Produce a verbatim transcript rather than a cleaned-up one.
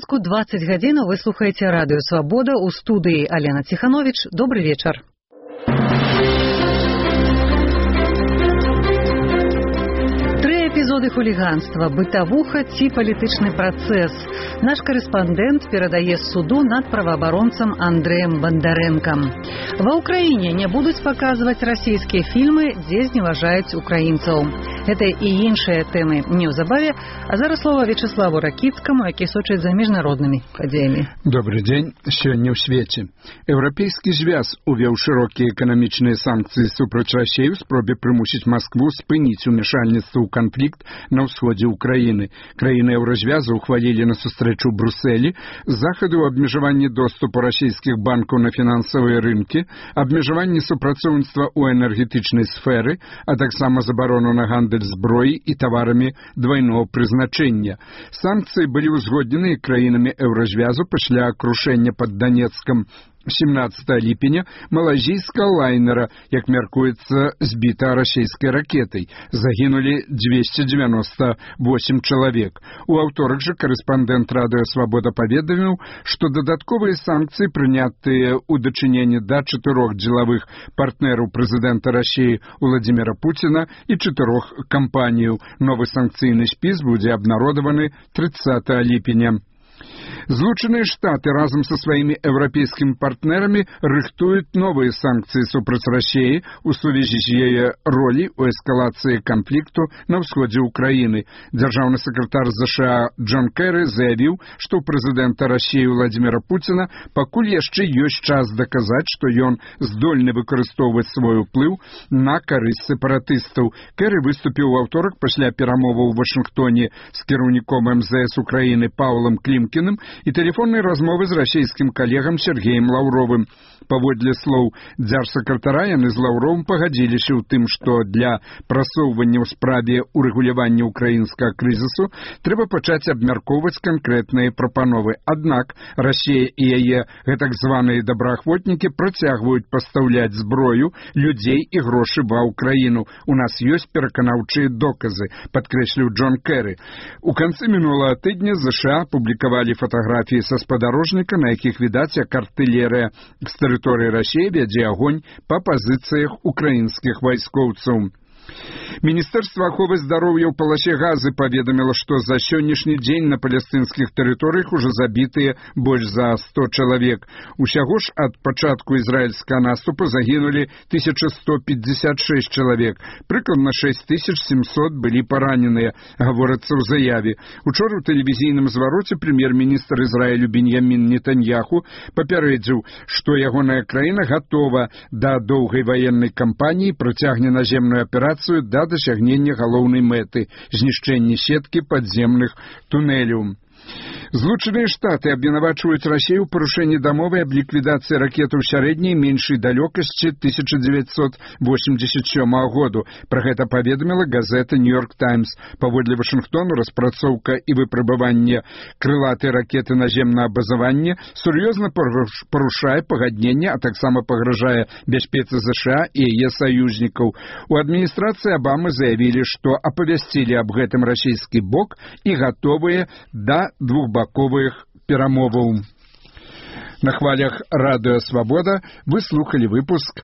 Мінску двадцать гадзінаў вы слухаеце радыё Свабода, у студыі Алена Ціхановіч. Добры вечар. Тры эпізоды хуліганства, бытавуха ці палітычны працэс. Наш корэспандэнт перадае з суду над праваабаронцам Андрэем Бандарэнкам. Ва ўкраіне не будуць паказваць расійскія фільмы, дзе зневажаюць украінцаў. Гэта і іншыя тэмы неўзабаве, а зараз слова Вячеславу Ракіцкаму, які сочыць за міжнароднымі падзеямі. Добрый дзень. Сёння ў свеце. Еўрапейскі звяз увёў шырокія эканамічныя санкцыі супраць Расіі ў спробе прымусіць Маскву спыніць умешальніцтва ў канфлікт на ўсходзе ўкраіны. Краіны еўразвязу ухвалілі на сустрэчу ў Брусэлі захады ў абмежаванні доступу расійскіх банкаў на фінансавыя рынкі, абмежаванні супрацоўніцтва ў энергетычнай сферы, а таксама забарону на гандаль зброі і таварамі двайного прызначэння. Санкцыі былі ўзгоднены краінамі еўразвязу пасля крушэння пад Данецкам семнадцатого ліпеня малайзійскага лайнера, як мяркуецца, збіта расійскай ракетай. Загінулі двести девяносто восемь чалавек. У аўторак жа корэспандэнт радыё Свабода паведаміў, што дадатковыя санкцыі, прынятыя ў дачыненні да чатырох дзелавых партнераў прэзідэнта Расіі Владзіміра Пуціна і чатырох кампаніяў. Новы санкцыйны спіс будзе абнародаваны тридцатого ліпеня. Злучаныя Штаты разам са сваімі еўрапейскімі партнерамі рыхтуюць новыя санкцыі супраць Расіі ў сувязі з яе ролі ў эскалацыі канфлікту на ўсходзе ўкраіны. Дзяржаўны сакратар ЗША Джон Кэры заявіў, што ў прэзідэнта Расіі Владзіміра Пуціна пакуль яшчэ ёсць час даказаць, што ён здольны выкарыстоўваць свой уплыў на карысць сепаратыстаў. Кэры выступіў у аўторак пасля перамоваў у Вашынгтоне з кіраўніком эм зэ эс Украіны Паўлам Клімкіным і тэлефоннай размовы з расійскім калегам Сергеем Лаўровым. Паводле слоў дзяржсакратара, яны з Лаўровым пагадзіліся ў тым, што для прасоўвання ў справе урэгулявання ўкраінскага крызісу трэба пачаць абмяркоўваць канкрэтныя прапановы. Аднак Расія і яе гэтак званыя добраахвотнікі працягваюць пастаўляць зброю, людзей і грошы ва ўкраіну. У нас ёсць пераканаўчыя доказы, падкрэсліў Джон Кэры. У канцы мінулага тыдня ЗША публікавалі фотаграфіі са спадарожніка, на якіх відаць, як артылерыя з тэрыторыі Расіі вядзе агонь па пазіцыях украінскіх вайскоўцаў. Міністэрства аховы здароўя ў паласе Газы паведаміла, што за сённяшні дзень на палестынскіх тэрыторыях ужо забітыя больш за сто чалавек. Усяго ж ад пачатку ізраільскага наступу загінулі тысяча сто пятьдесят шесть чалавек. Прыкладна шесть тысяч семьсот былі параненыя, гаворыцца ў заяве. Учора ў тэлевізійным звароце прэм'ер-міністр Ізраілю Беньямін Нетаньяху папярэдзіў, што ягоная краіна гатова да доўгай ваеннай кампаніі, працягне наземную аперацыю да дасягнення галоўнай мэты – знішчэння сеткі падземных тунэляў. Злучаныя Штаты абвінавачваюць Расію ў парушэнні дамовы аб ліквідацыі ракетаў сярэдняй меншай далёкасці тысяча дзевяцьсот восемьдесят сёмага году. Пра гэта паведаміла газета «Нью-Йорк Таймс». Паводле Вашынгтону распрацоўка і выпрабаванне крылатай ракеты наземнага базавання сур'ёзна парушае пагадненне, а таксама пагражае бяспецы ЗША і яе саюзнікаў. У адміністрацыі Абамы заявілі, што апавясцілі аб гэтым расійскі бок і гатовыя да двухбаковых перамоваў. На хвалях радыё Свабода вы слухали выпуск